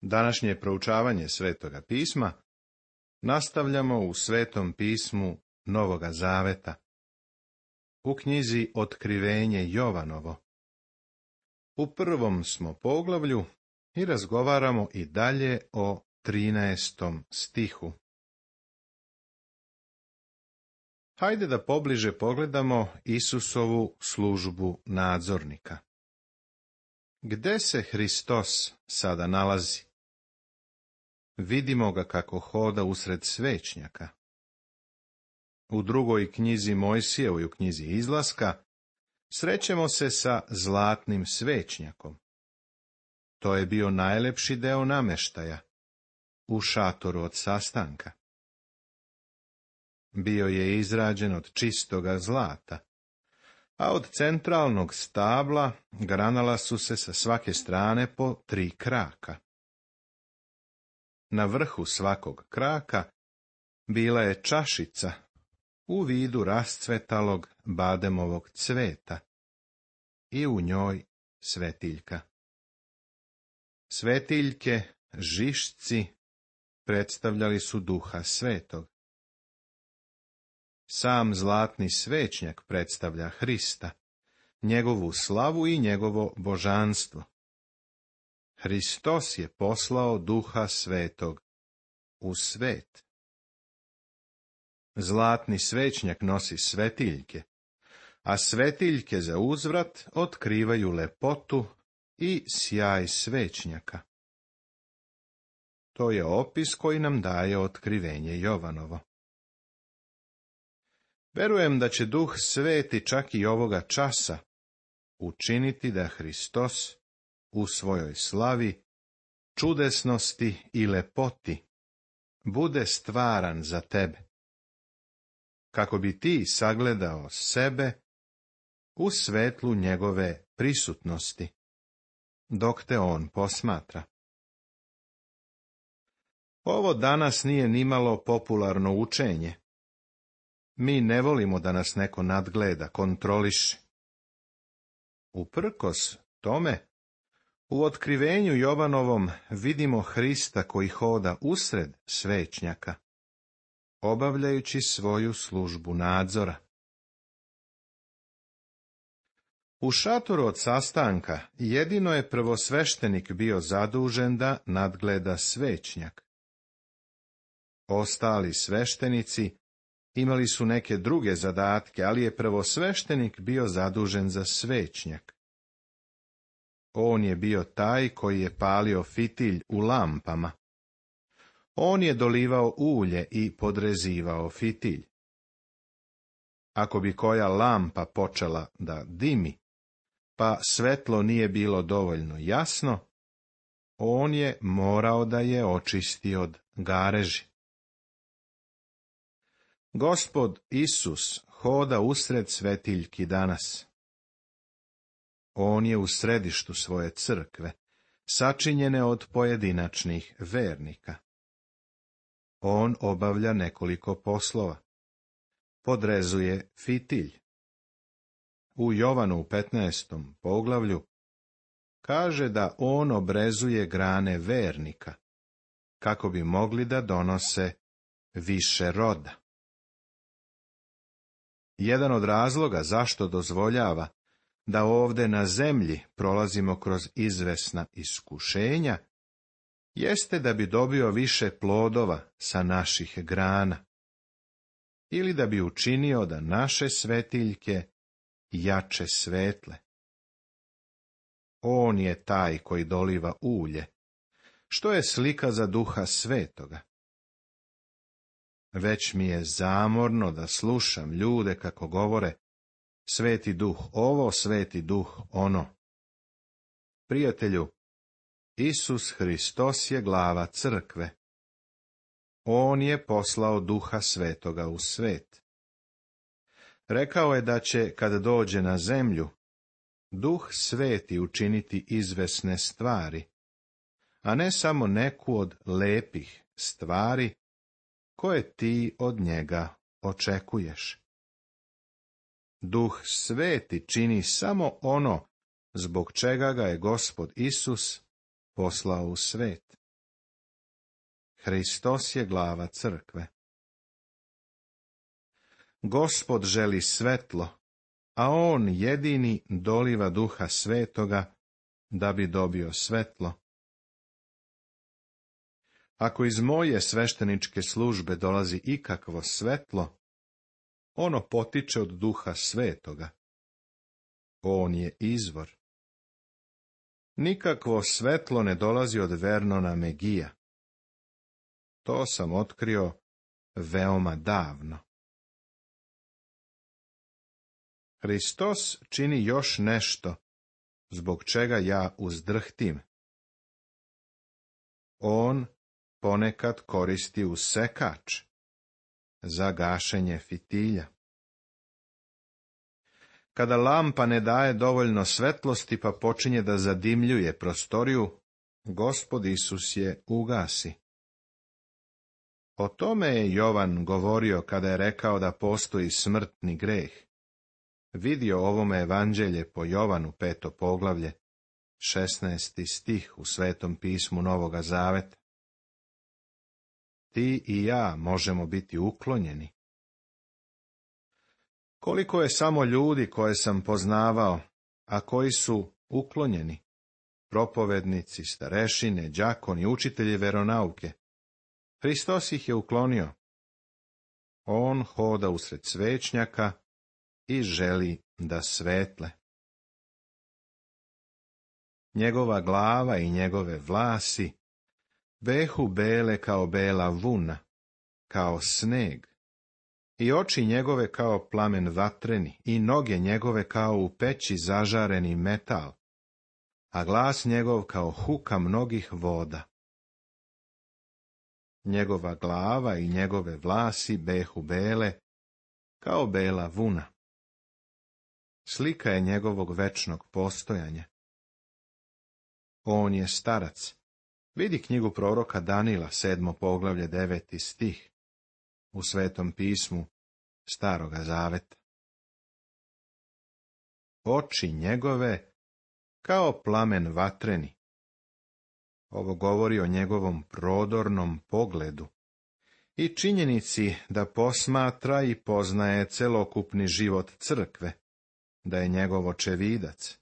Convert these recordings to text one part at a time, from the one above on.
Današnje proučavanje Svetoga pisma nastavljamo u Svetom pismu Novoga Zaveta, u knjizi Otkrivenje Jovanovo. U prvom smo poglavlju i razgovaramo i dalje o 13. stihu. Hajde da pobliže pogledamo Isusovu službu nadzornika. Gde se Hristos sada nalazi? Vidimo ga kako hoda usred svećnjaka. U drugoj knjizi Mojsijevoj, u knjizi Izlaska, srećemo se sa zlatnim svećnjakom. To je bio najlepši deo nameštaja u šatoru od sastanka. Bio je izrađen od čistoga zlata, a od centralnog stabla granala su se sa svake strane po 3 kraka. Na vrhu svakog kraka bila je čašica u vidu rascvetalog bademovog cveta i u njoj svetiljka. Svetiljke, žišci, predstavljali su Duha Svetog. Sam zlatni svećnjak predstavlja Hrista, njegovu slavu i njegovo božanstvo. Hristos je poslao Duha Svetog u svet. Zlatni svećnjak nosi svetiljke, a svetiljke za uzvrat otkrivaju lepotu i sjaj svećnjaka. To je opis koji nam daje Otkrivenje Jovanovo. Verujem da će Duh Sveti čak i ovoga časa učiniti da Hristos u svojoj slavi, čudesnosti i lepoti bude stvaran za tebe, kako bi ti sagledao sebe u svetlu njegove prisutnosti, dok te on posmatra. Ovo danas nije nimalo popularno učenje. Mi ne volimo da nas neko nadgleda, kontroliše. Uprkos tome, u Otkrivenju Jovanovom vidimo Hrista koji hoda usred svećnjaka, obavljajući svoju službu nadzora. U šatoru od sastanka jedino je prvosveštenik bio zadužen da nadgleda svećnjak. Ostali sveštenici imali su neke druge zadatke, ali je prvosveštenik bio zadužen za svećnjak. On je bio taj koji je palio fitilj u lampama. On je dolivao ulje i podrezivao fitilj. Ako bi koja lampa počela da dimi, pa svetlo nije bilo dovoljno jasno, on je morao da je očisti od gareži. Gospod Isus hoda usred svetiljki danas. On je u središtu svoje crkve, sačinjene od pojedinačnih vernika. On obavlja nekoliko poslova. Podrezuje fitilj. U Jovanu u 15. poglavlju kaže da on obrezuje grane vernika, kako bi mogli da donose više roda. Jedan od razloga zašto dozvoljava da ovde na zemlji prolazimo kroz izvesna iskušenja, jeste da bi dobio više plodova sa naših grana, ili da bi učinio da naše svetiljke jače svetle. On je taj koji doliva ulje, što je slika za Duha Svetoga. Već mi je zamorno da slušam ljude kako govore: Sveti Duh ovo, Sveti Duh ono. Prijatelju, Isus Hristos je glava crkve. On je poslao Duha Svetoga u svet. Rekao je da će, kad dođe na zemlju, Duh Sveti učiniti izvesne stvari, a ne samo neku od lepih stvari koje ti od njega očekuješ. Duh Sveti čini samo ono zbog čega ga je Gospod Isus poslao u svet. Hristos je glava crkve. Gospod želi svetlo, a on jedini doliva Duha Svetoga da bi dobio svetlo. Ako iz moje svešteničke službe dolazi ikakvo svetlo, ono potiče od Duha Svetoga. On je izvor. Nikakvo svetlo ne dolazi od Vernona Megija. To sam otkrio veoma davno. Hristos čini još nešto, zbog čega ja uzdrhtim. On ponekad koristi usekač za gašenje fitilja. Kada lampa ne daje dovoljno svetlosti pa počinje da zadimljuje prostoriju, Gospod Isus je ugasi. O tome je Jovan govorio kada je rekao da postoji smrtni greh. Vidio ovome evanđelje po Jovanu 5. poglavlje, 16. stih u Svetom pismu Novoga Zaveta. Ti i ja možemo biti uklonjeni. Koliko je samo ljudi koje sam poznavao, a koji su uklonjeni, propovednici, starešine, đakoni, učitelji veronauke. Hristos ih je uklonio. On hoda usred svećnjaka i želi da svetle. Njegova glava i njegove vlasi behu bele kao bela vuna, kao sneg, i oči njegove kao plamen vatreni, i noge njegove kao u peći zažareni metal, a glas njegov kao huka mnogih voda. Njegova glava i njegove vlasi behu bele kao bela vuna. Slika je njegovog večnog postojanja. On je starac. Vidi knjigu proroka Danila, 7. poglavlje, 9. stih, u Svetom pismu Staroga Zaveta. Oči njegove kao plamen vatreni. Ovo govori o njegovom prodornom pogledu i činjenici da posmatra i poznaje celokupni život crkve, da je njegov očevidac.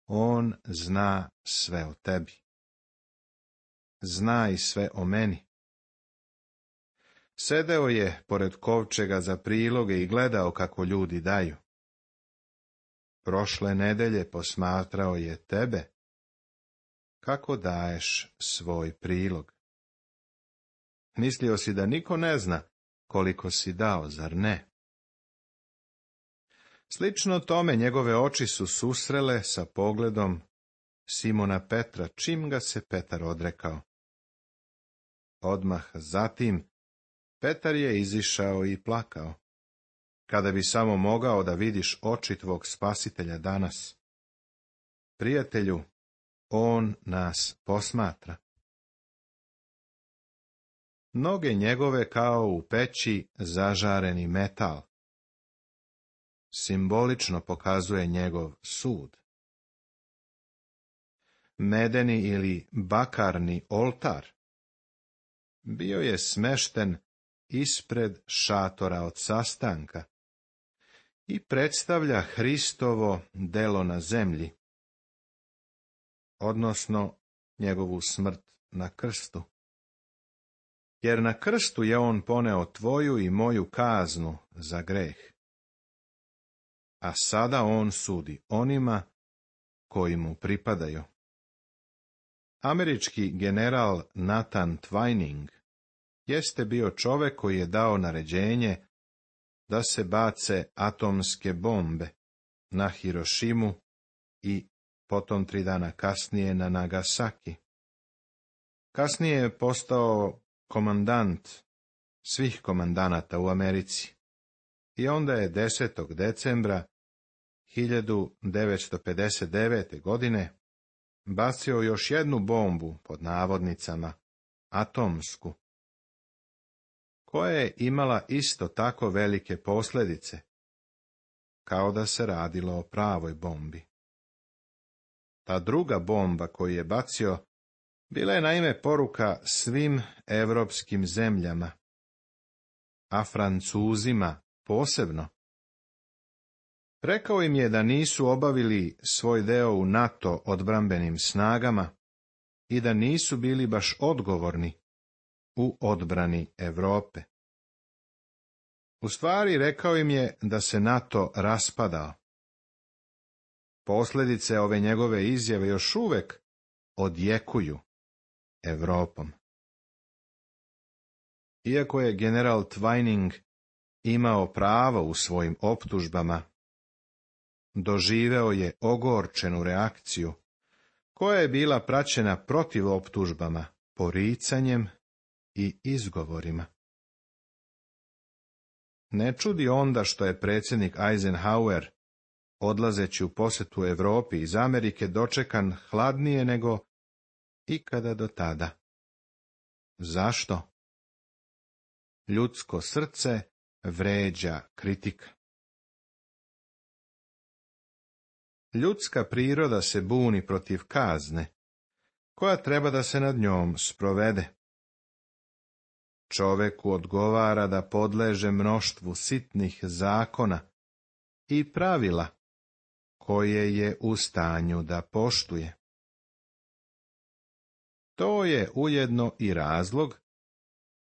On zna sve o tebi. Zna i sve o meni. Sedeo je pored kovčega za priloge i gledao kako ljudi daju. Prošle nedelje posmatrao je tebe. Kako daješ svoj prilog? Mislio si da niko ne zna koliko si dao, zar ne? Slično tome njegove oči su susrele sa pogledom Simona Petra, čim ga se Petar odrekao. Odmah zatim Petar je izišao i plakao. Kada bi samo mogao da vidiš oči tvog Spasitelja danas. Prijatelju, on nas posmatra. Noge njegove kao u peći zažareni metal. Simbolično pokazuje njegov sud. Medeni ili bakarni oltar bio je smešten ispred šatora od sastanka i predstavlja Hristovo delo na zemlji, odnosno njegovu smrt na krstu. Jer na krstu je on poneo tvoju i moju kaznu za greh. A sada on sudi onima koji mu pripadaju. Američki general Nathan Twining jeste bio čovek koji je dao naređenje da se bace atomske bombe na Hirošimu i potom 3 dana kasnije na Nagasaki. Kasnije je postao komandant svih komandanata u Americi i onda je 10. decembra 1959. godine bacio još jednu bombu, pod navodnicama, atomsku, koja je imala isto tako velike posljedice, kao da se radilo o pravoj bombi. Ta druga bomba koju je bacio Bila je naime poruka svim evropskim zemljama, a Francuzima posebno. Rekao im je da nisu obavili svoj deo u NATO odbrambenim snagama i da nisu bili baš odgovorni u odbrani Europe. U stvari, rekao im je da se NATO raspadao. Posljedice ove njegove izjave još uvek odjekuju Europom. Iako je general Twining imao pravo u svojim optužbama, doživeo je ogorčenu reakciju, koja je bila praćena protiv optužbama, poricanjem i izgovorima. Ne čudi onda što je predsjednik Eisenhower, odlazeći u posjetu Europi iz Amerike, dočekan hladnije nego ikada do tada. Zašto? Ljudsko srce vređa kritika. Ljudska priroda se buni protiv kazne, koja treba da se nad njom sprovede. Čoveku odgovara da podleže mnoštvu sitnih zakona i pravila, koje je u stanju da poštuje. To je ujedno i razlog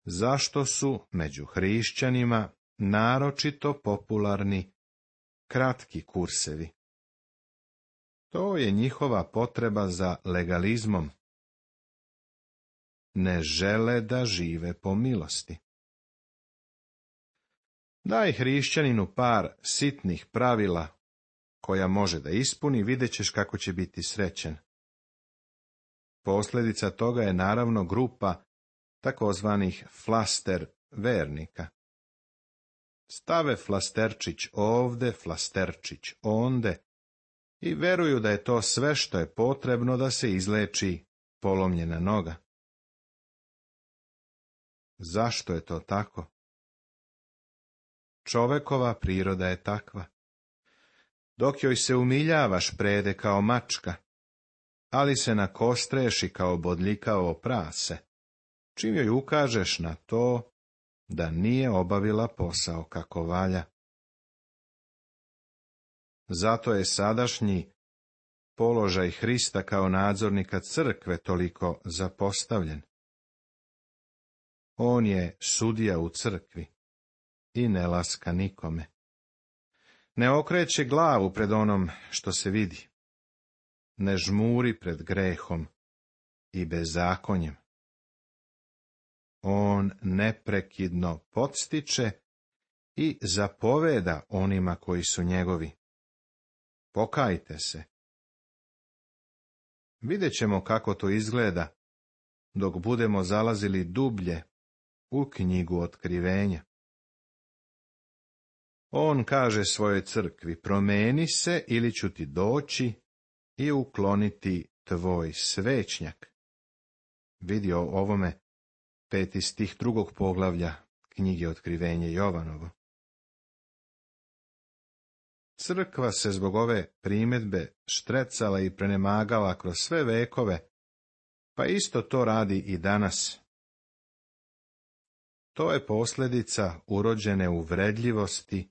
zašto su među hrišćanima naročito popularni kratki kursevi. To je njihova potreba za legalizmom. Ne žele da žive po milosti. Daj hrišćaninu par sitnih pravila koja može da ispuni, vidjet ćeš kako će biti srećen. Posljedica toga je naravno grupa takozvanih flaster vernika. Stave flasterčić ovde, flasterčić onde i veruju da je to sve što je potrebno da se izleči polomljena noga. Zašto je to tako? Čovekova priroda je takva. Dok joj se umiljavaš, prede kao mačka, ali se nakostreši kao bodljikavo prase, čim joj ukažeš na to da nije obavila posao kako valja. Zato je sadašnji položaj Hrista kao nadzornika crkve toliko zapostavljen. On je sudija u crkvi i ne laska nikome. Ne okreće glavu pred onom što se vidi. Ne žmuri pred grehom i bezakonjem. On neprekidno podstiče i zapoveda onima koji su njegovi. Pokajte se. Vidjet ćemo kako to izgleda dok budemo zalazili dublje u knjigu Otkrivenja. On kaže svojoj crkvi: promeni se ili ću ti doći i ukloniti tvoj svećnjak. Vidi o ovome 5. stih 2. poglavlja knjige Otkrivenje Jovanovo. Crkva se zbog ove primjedbe štrecala i prenemagala kroz sve vekove, pa isto to radi i danas. To je posljedica urođene uvredljivosti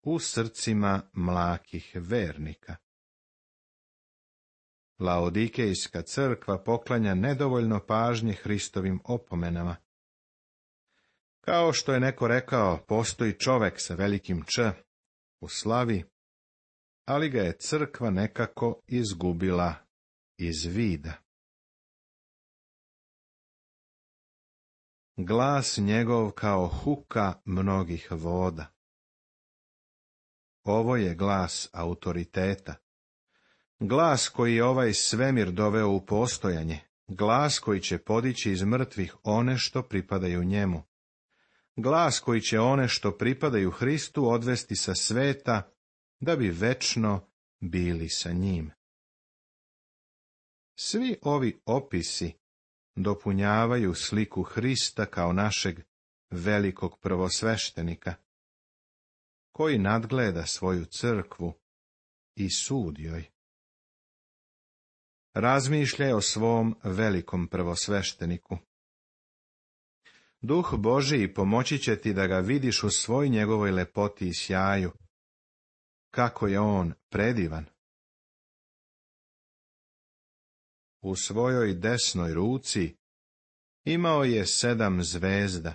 u srcima mlakih vernika. Laodikejska crkva poklanja nedovoljno pažnje Hristovim opomenama. Kao što je neko rekao, postoji čovek sa velikim Č u slavi, ali ga je crkva nekako izgubila iz vida. Glas njegov kao huka mnogih voda. Ovo je glas autoriteta. Glas koji je ovaj svemir doveo u postojanje. Glas koji će podići iz mrtvih one što pripadaju njemu. Glas koji će one što pripadaju Hristu odvesti sa sveta, da bi večno bili sa njim. Svi ovi opisi dopunjavaju sliku Hrista kao našeg velikog prvosveštenika, koji nadgleda svoju crkvu i sudi joj. razmišljaj o svom velikom prvosvešteniku. Duh Božiji pomoći će ti da ga vidiš u svoj njegovoj lepoti i sjaju. Kako je on predivan! U svojoj desnoj ruci imao je 7 zvezda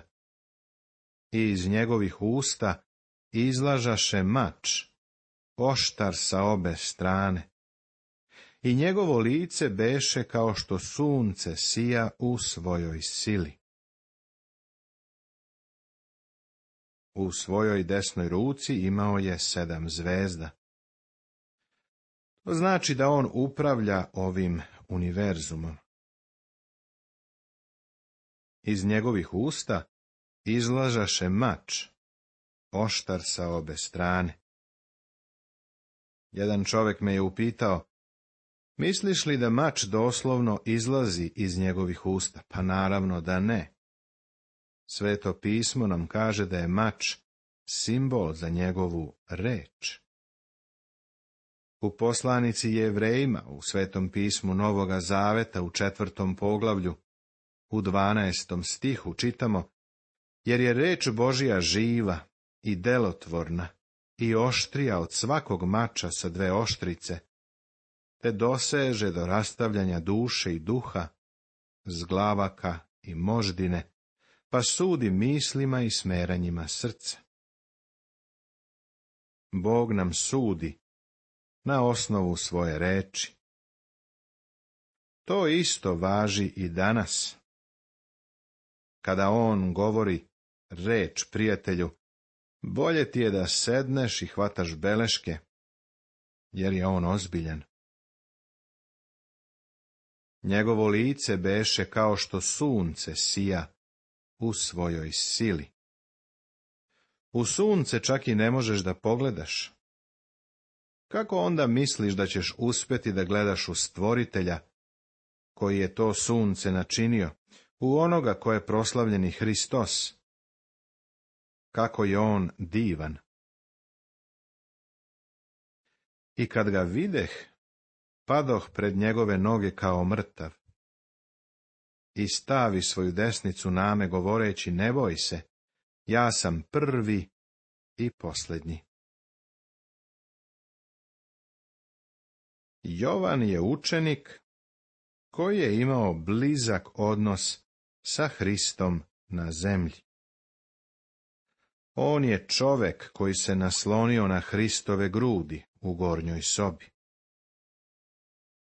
i iz njegovih usta izlažaše mač, oštar sa obe strane. I njegovo lice beše kao što sunce sija u svojoj sili. U svojoj desnoj ruci imao je 7 zvezda. To znači da on upravlja ovim univerzumom. Iz njegovih usta izlažaše mač, oštar sa obe strane. Jedan čovjek me je upitao, misliš li da mač doslovno izlazi iz njegovih usta? Pa naravno da ne. Sveto pismo nam kaže da je mač simbol za njegovu reč. U poslanici Jevrejima, u Svetom pismu Novoga Zaveta u 4. poglavlju, u 12. stihu čitamo, jer je reč Božja živa i delotvorna i oštrija od svakog mača sa 2 oštrice, te doseže do rastavljanja duše i duha, zglavaka i moždine, pa sudi mislima i smeranjima srca. Bog nam sudi na osnovu svoje reči. To isto važi i danas. Kada on govori reč prijatelju, bolje ti je da sedneš i hvataš beleške, jer je on ozbiljan. Njegovo lice beše kao što sunce sija u svojoj sili. U sunce čak i ne možeš da pogledaš. Kako onda misliš da ćeš uspjeti da gledaš u Stvoritelja, koji je to sunce načinio, u onoga ko je proslavljeni Hristos? Kako je on divan! I kad ga videh, padoh pred njegove noge kao mrtav. I stavi svoju desnicu name govoreći, ne boj se, ja sam prvi i posljednji. Jovan je učenik koji je imao blizak odnos sa Hristom na zemlji. On je čovek koji se naslonio na Hristove grudi u gornjoj sobi.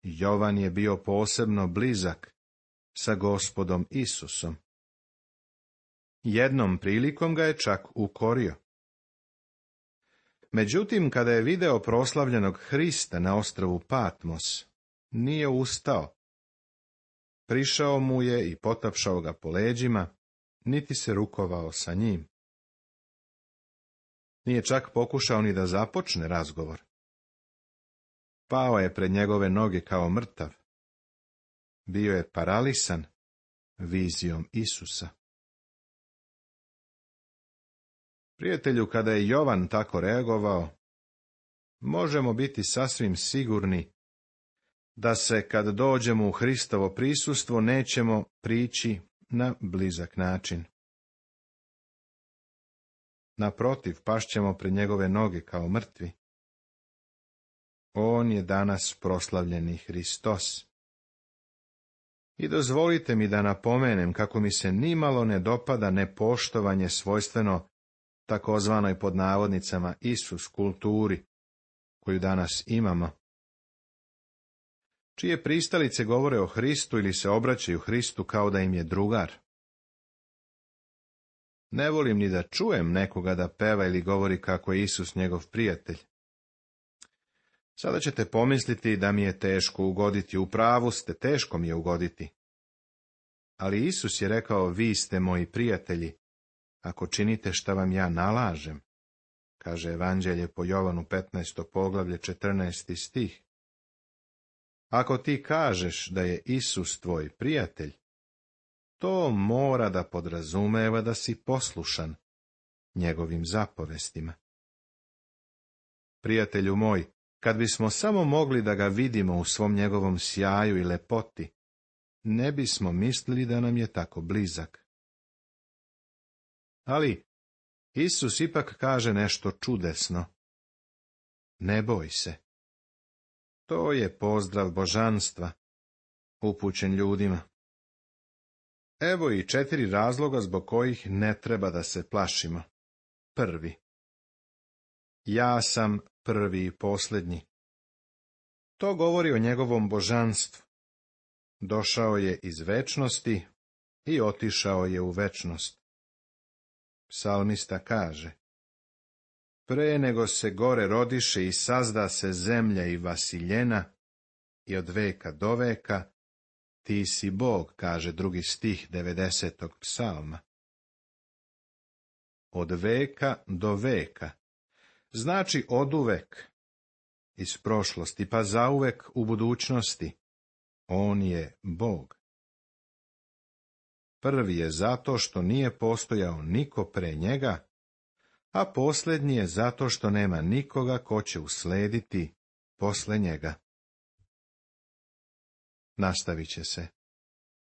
Jovan je bio posebno blizak sa Gospodom Isusom. Jednom prilikom ga je čak ukorio. Međutim, kada je video proslavljenog Hrista na ostrvu Patmos, nije ustao. Prišao mu je i potapšao ga po leđima, niti se rukovao sa njim. Nije čak pokušao ni da započne razgovor. Pao je pred njegove noge kao mrtav. Bio je paralisan vizijom Isusa. Prijatelju, kada je Jovan tako reagovao, možemo biti sasvim sigurni da se, kad dođemo u Hristovo prisustvo, nećemo prići na blizak način. Naprotiv, pašćemo pred njegove noge kao mrtvi. On je danas proslavljeni Hristos. I dozvolite mi da napomenem kako mi se nimalo ne dopada nepoštovanje svojstveno takozvanoj pod navodnicama Isus kulturi, koju danas imamo, čije pristalice govore o Hristu ili se obraćaju Hristu kao da im je drugar. Ne volim ni da čujem nekoga da peva ili govori kako je Isus njegov prijatelj. Sada ćete pomisliti da mi je teško ugoditi, u pravu ste, teško mi je ugoditi. Ali Isus je rekao, vi ste moji prijatelji, ako činite šta vam ja nalažem, kaže Evanđelje po Jovanu 15. poglavlje 14. stih. Ako ti kažeš da je Isus tvoj prijatelj, to mora da podrazumeva da si poslušan njegovim zapovestima. Prijatelju moj, Kad bismo samo mogli da ga vidimo u svom njegovom sjaju i lepoti, ne bismo mislili da nam je tako blizak. Ali Isus ipak kaže nešto čudesno. Ne boj se. To je pozdrav božanstva, upućen ljudima. Evo i 4 razloga zbog kojih ne treba da se plašimo. Prvi. Ja sam prvi i posljednji. To govori o njegovom božanstvu. Došao je iz večnosti i otišao je u večnost. Psalmista kaže: Pre nego se gore rodiše i sazda se zemlja i vasiljena, i od veka do veka, ti si Bog, kaže 2. stih 90. psalma. Od veka do veka, znači oduvek, iz prošlosti pa zauvek u budućnosti, on je Bog. Prvi je zato što nije postojao niko pre njega, a posljednji je zato što nema nikoga ko će uslediti posle njega. Nastavit će se.